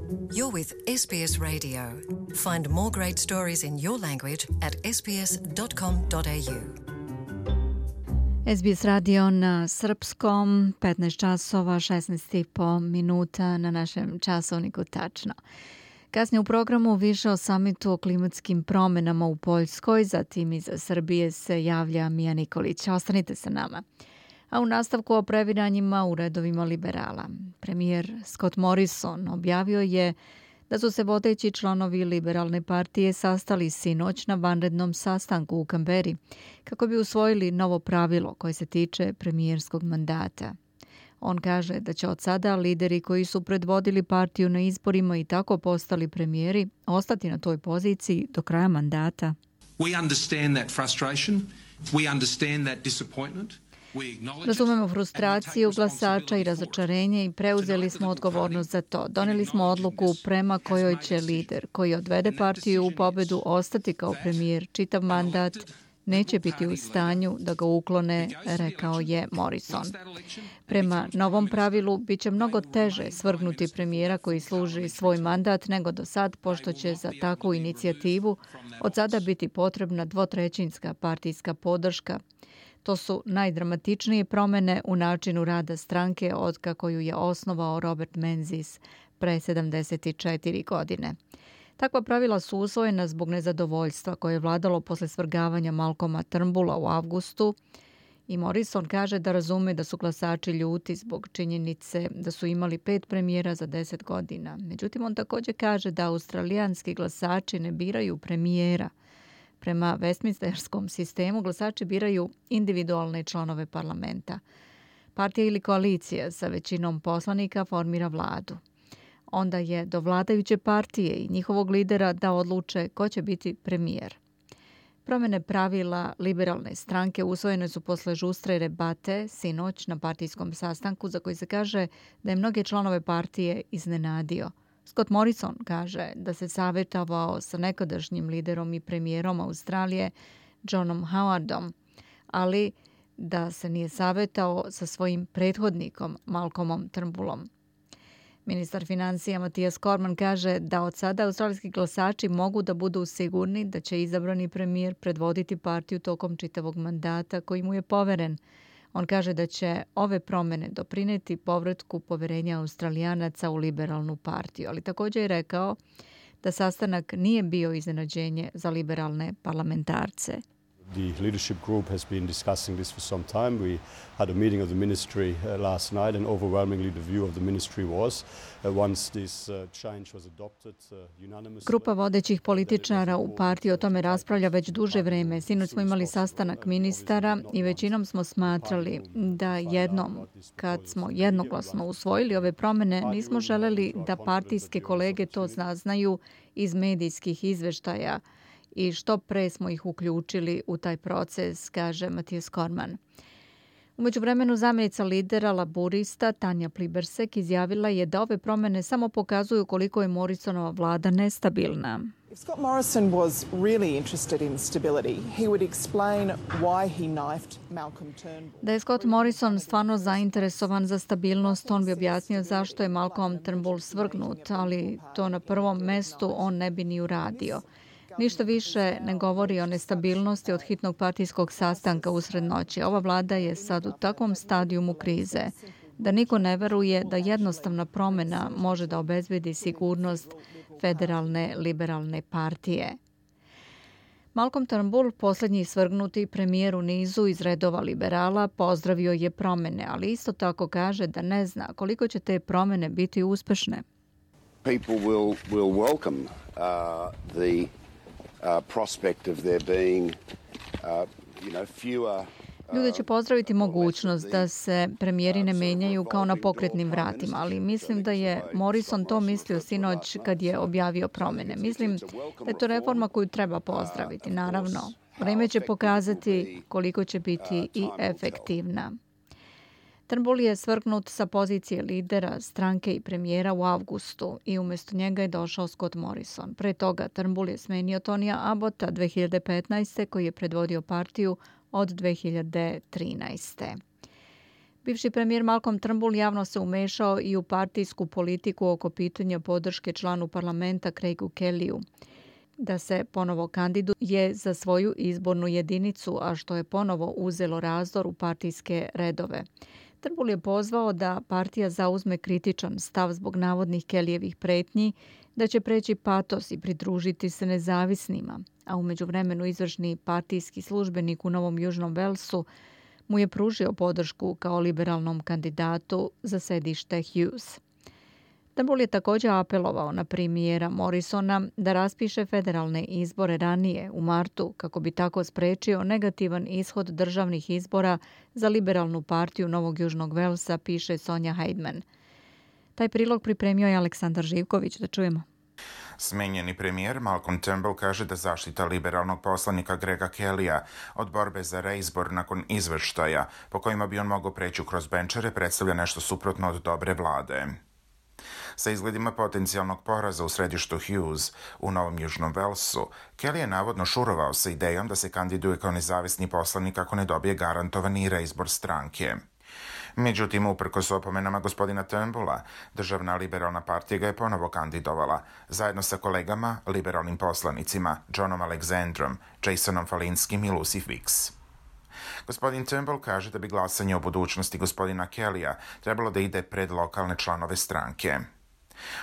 You're with SBS Radio. Find more great stories in your language at sbs.com.au. SBS radio na srpskom, 15 časova, 16,5 minuta na našem časovniku tačno. Kasnije u programu više o samitu o klimatskim promjenama u Poljskoj, zatim iza Srbije se javlja Mija Nikolić. Ostanite sa nama. A u nastavku o previranjima u redovima liberala. Premijer Scott Morrison objavio je da su se vodeći članovi liberalne partije sastali sinoć na vanrednom sastanku u Kamberi kako bi usvojili novo pravilo koje se tiče premijerskog mandata. On kaže da će od sada lideri koji su predvodili partiju na izborima i tako postali premijeri ostati na toj poziciji do kraja mandata. We understand that frustration. We understand that disappointment. Razumemo frustraciju glasača i razočarenje i preuzeli smo odgovornost za to. Donijeli smo odluku prema kojoj će lider koji odvede partiju u pobedu ostati kao premijer čitav mandat, neće biti u stanju da ga uklone, rekao je Morrison. Prema novom pravilu bit će mnogo teže svrgnuti premijera koji služi svoj mandat nego do sad, pošto će za takvu inicijativu od sada biti potrebna dvotrećinska partijska podrška. To su najdramatičnije promjene u načinu rada stranke od kako ju je osnovao Robert Menzies pre 74 godine. Takva pravila su usvojena zbog nezadovoljstva koje je vladalo posle svrgavanja Malcolma Turnbulla u avgustu i Morrison kaže da razume da su glasači ljuti zbog činjenice da su imali 5 premijera za 10 godina. Međutim, on također kaže da australijanski glasači ne biraju premijera. Prema Westminsterskom sistemu glasači biraju individualne članove parlamenta. Partija ili koalicija sa većinom poslanika formira vladu. Onda je do vladajuće partije i njihovog lidera da odluče ko će biti premijer. Promjene pravila liberalne stranke usvojene su posle žustre debate sinoć na partijskom sastanku za koji se kaže da je mnoge članove partije iznenadio. Scott Morrison kaže da se savjetovao sa nekadašnjim liderom i premijerom Australije Johnom Howardom, ali da se nije savjetao sa svojim prethodnikom Malcolmom Turnbullom. Ministar financija Matthias Cormann kaže da od sada australijski glasači mogu da budu sigurni da će izabrani premijer predvoditi partiju tokom čitavog mandata koji mu je poveren. On kaže da će ove promjene doprineti povratku poverenja Australijanaca u liberalnu partiju, ali također je rekao da sastanak nije bio iznenađenje za liberalne parlamentarce. The leadership group has been discussing this for some time. We had a meeting of the ministry last night and overwhelmingly the view of the ministry was once this change was adopted unanimously. Grupa vodećih političara u partiji o tome raspravlja već duže vreme. Sinoć smo imali sastanak ministara i većinom smo smatrali da jednom, kad smo jednoglasno usvojili ove promjene, nismo želeli da partijske kolege to saznaju iz medijskih izveštaja i što pre smo ih uključili u taj proces, kaže Matthias Cormann. U međuvremenu zamjenica lidera laburista Tanja Plibersek izjavila je da ove promjene samo pokazuju koliko je Morrisonova vlada nestabilna. If Scott Morrison was really interested in stability, he would explain why he knifed Malcolm Turnbull. Da je Scott Morrison stvarno zainteresovan za stabilnost, on bi objasnio zašto je Malcolm Turnbull svrgnut, ali to na prvom mestu on ne bi ni uradio. Ništa više ne govori o nestabilnosti od hitnog partijskog sastanka usred noći. Ova vlada je sad u takvom stadijumu krize da niko ne veruje da jednostavna promjena može da obezbedi sigurnost federalne liberalne partije. Malcolm Turnbull, posljednji svrgnuti premijer u nizu iz redova liberala, pozdravio je promjene, ali isto tako kaže da ne zna koliko će te promjene biti uspešne. People will welcome the prospect of there being fewer. Ljudi će pozdraviti mogućnost da se premijeri ne menjaju kao na pokretnim vratima, ali mislim da je Morrison to mislio sinoć kad je objavio promjene. Mislim da je to reforma koju treba pozdraviti. Naravno, vreme će pokazati koliko će biti i efektivna. Turnbull je svrgnut sa pozicije lidera stranke i premijera u avgustu i umjesto njega je došao Scott Morrison. Pre toga Turnbull je smenio Tonija Abbotta 2015. koji je predvodio partiju od 2013. Bivši premijer Malcolm Turnbull javno se umešao i u partijsku politiku oko pitanja podrške članu parlamenta Craigu Kellyu da se ponovo kandiduje za svoju izbornu jedinicu, a što je ponovo uzelo razdor u partijske redove. Turnbull je pozvao da partija zauzme kritičan stav zbog navodnih Kellyjevih pretnji da će preći patos i pridružiti se nezavisnima, a u međuvremenu izvršni partijski službenik u Novom Južnom Walesu mu je pružio podršku kao liberalnom kandidatu za sedište Hughes. Turnbull je također apelovao na premijera Morrisona da raspiše federalne izbore ranije u martu kako bi tako sprečio negativan ishod državnih izbora za liberalnu partiju Novog Južnog Walesa, piše Sonja Heidman. Taj prilog pripremio je Aleksandar Živković. Da čujemo. Smenjeni premijer Malcolm Turnbull kaže da zaštita liberalnog poslanika Grega Kellyja od borbe za reizbor nakon izveštaja po kojima bi on mogao preći kroz benčere predstavlja nešto suprotno od dobre vlade. Sa izgledima potencijalnog poraza u središtu Hughes u Novom Južnom Walesu, Kelly je navodno šurovao sa idejom da se kandiduje kao nezavisni poslanik ako ne dobije garantovani reizbor stranke. Međutim, uprkos opomenama gospodina Turnbulla, državna liberalna partija ga je ponovo kandidovala, zajedno sa kolegama, liberalnim poslanicima, Johnom Alexandrom, Jasonom Falinskim i Lucy Fix. Gospodin Turnbull kaže da bi glasanje o budućnosti gospodina Kellyja trebalo da ide pred lokalne članove stranke.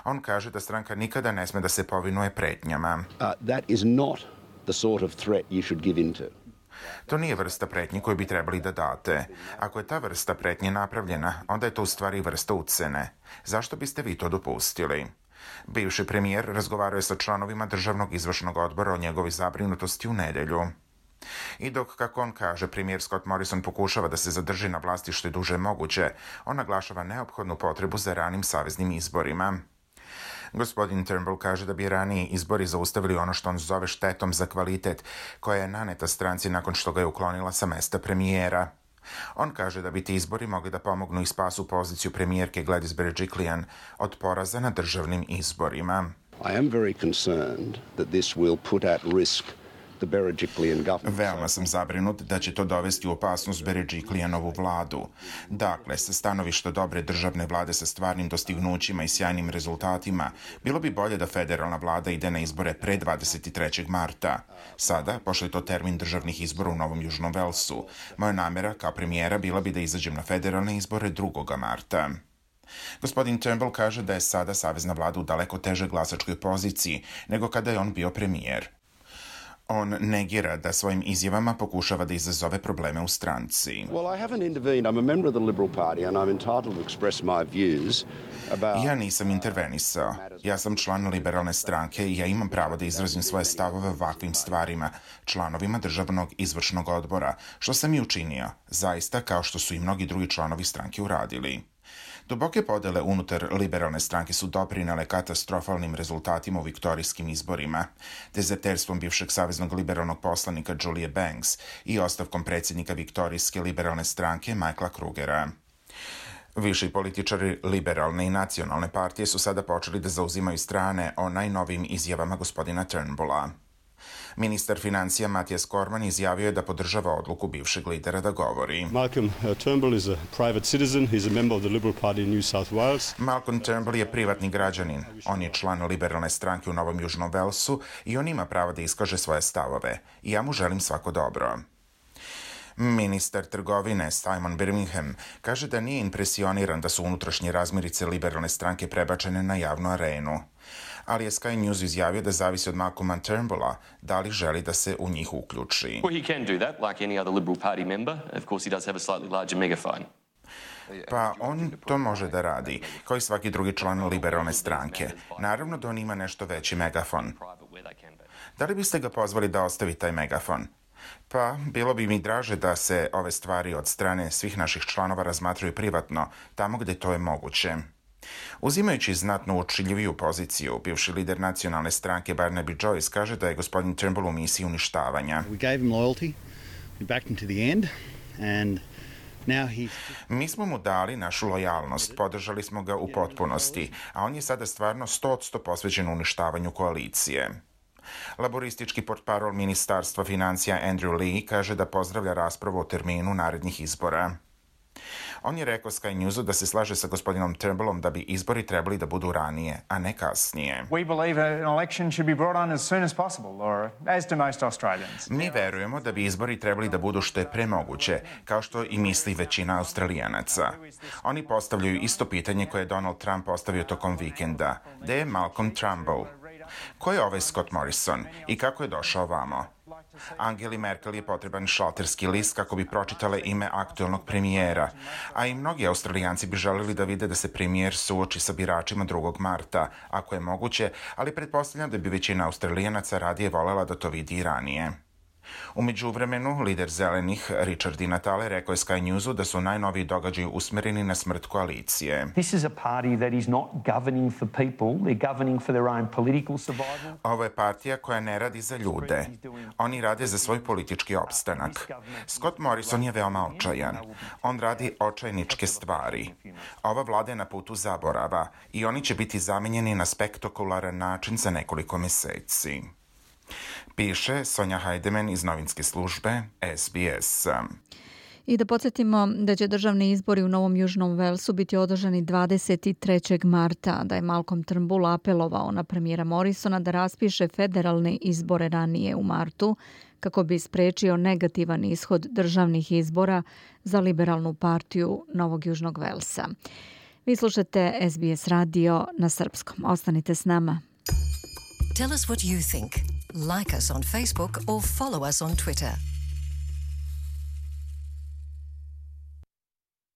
On kaže da stranka nikada ne sme da se povinuje pretnjama. That is not the sort of threat you should give into. To nije vrsta pretnje koju bi trebali da date. Ako je ta vrsta pretnje napravljena, onda je to u stvari vrsta ucene. Zašto biste vi to dopustili? Bivši premijer razgovarao je sa članovima državnog izvršnog odbora o njegovoj zabrinutosti u nedelju. I dok, kako on kaže, premijer Scott Morrison pokušava da se zadrži na vlasti što je duže moguće, on naglašava neophodnu potrebu za ranim saveznim izborima. Gospodin Turnbull kaže da bi raniji izbori zaustavili ono što on zove štetom za kvalitet koja je naneta stranci nakon što ga je uklonila sa mesta premijera. On kaže da bi ti izbori mogli da pomognu i spasu poziciju premijerke Gladys Berejiklian od poraza na državnim izborima. I am very concerned that this will put at risk the Berejiklian government. Veoma sam zabrinut da će to dovesti u opasnost Berejiklianovu vladu. Dakle, sa stanovišta dobre državne vlade sa stvarnim dostignućima i sjajnim rezultatima, bilo bi bolje da federalna vlada ide na izbore pre 23. marta. Sada, pošto je to termin državnih izbora u Novom Južnom Walesu, moja namera kao premijera bila bi da izađem na federalne izbore 2. marta. Gospodin Turnbull kaže da je sada savezna vlada u daleko težoj glasačkoj poziciji nego kada je on bio premijer. On negira da svojim izjavama pokušava da izazove probleme u stranci. Well, I haven't intervened. I'm a member of the Liberal Party and I'm entitled to express my views about... Ja nisam intervenisao. Ja sam član liberalne stranke i ja imam pravo da izrazim svoje stavove o ovakvim stvarima, članovima državnog izvršnog odbora, što sam i učinio, zaista kao što su i mnogi drugi članovi stranke uradili. Duboke podele unutar liberalne stranke su doprinele katastrofalnim rezultatima u viktorijskim izborima, dezerterstvom bivšeg saveznog liberalnog poslanika Julie Banks i ostavkom predsjednika viktorijske liberalne stranke Michaela Krugera. Viši političari liberalne i nacionalne partije su sada počeli da zauzimaju strane o najnovijim izjavama gospodina Turnbulla. Ministar financija Mathias Cormann izjavio je da podržava odluku bivšeg lidera da govori. Malcolm Turnbull is a private citizen. He's a member of the Liberal Party in New South Wales. Malcolm Turnbull je privatni građanin. On je član liberalne stranke u Novom Južnom Walesu i on ima pravo da iskaže svoje stavove. I ja mu želim svako dobro. Ministar trgovine Simon Birmingham kaže da nije impresioniran da su unutrašnje razmirice liberalne stranke prebačene na javnu arenu. Ali je Sky News izjavio da zavisi od Malcolma Turnbulla da li želi da se u njih uključi. Well, he can do that like any other Liberal Party member. Of course, he does have a slightly larger megaphone. Pa on to može da radi, kao i svaki drugi član liberalne stranke. Naravno da on ima nešto veći megafon. Da li biste ga pozvali da ostavi taj megafon? Pa, bilo bi mi draže da se ove stvari od strane svih naših članova razmatraju privatno, tamo gdje to je moguće. Uzimajući znatno uočljiviju poziciju, bivši lider nacionalne stranke Barnaby Joyce kaže da je gospodin Turnbull u misiji uništavanja. Mi smo mu dali našu lojalnost, podržali smo ga u potpunosti, a on je sada stvarno 100% posvećen uništavanju koalicije. Laboristički portparol Ministarstva financija Andrew Lee kaže da pozdravlja raspravu o terminu narednih izbora. On je rekao Sky Newsu da se slaže sa gospodinom Turnbullom da bi izbori trebali da budu ranije, a ne kasnije. Mi verujemo da bi izbori trebali da budu što je pre moguće, kao što i misli većina Australijanaca. Oni postavljaju isto pitanje koje je Donald Trump postavio tokom vikenda. Gde je Malcolm Turnbull? Ko je ovaj Scott Morrison i kako je došao vamo? Angeli Merkel je potreban šalterski list kako bi pročitale ime aktuelnog premijera, a i mnogi Australijanci bi želeli da vide da se premijer suoči sa biračima 2. marta, ako je moguće, ali pretpostavljam da bi većina Australijanaca radije volela da to vidi i ranije. U međuvremenu, lider zelenih Richard Di Natale rekao je Sky Newsu da su najnoviji događaji usmereni na smrt koalicije. Ovo je partija koja ne radi za ljude. Oni rade za svoj politički opstanak. Scott Morrison je veoma očajan. On radi očajničke stvari. Ova vlada je na putu zaborava i oni će biti zamenjeni na spektakularan način za nekoliko meseci. Piše Sonja Hajdemen iz novinske službe SBS. I da podsjetimo da će državni izbori u Novom Južnom Velsu biti održani 23. marta, da je Malcolm Turnbull apelovao na premijera Morrisona da raspiše federalne izbore ranije u martu, kako bi sprečio negativan ishod državnih izbora za liberalnu partiju Novog Južnog Velsa. Vi slušate SBS radio na srpskom. Ostanite s nama. Tell us what you think. Like us on Facebook or follow us on Twitter.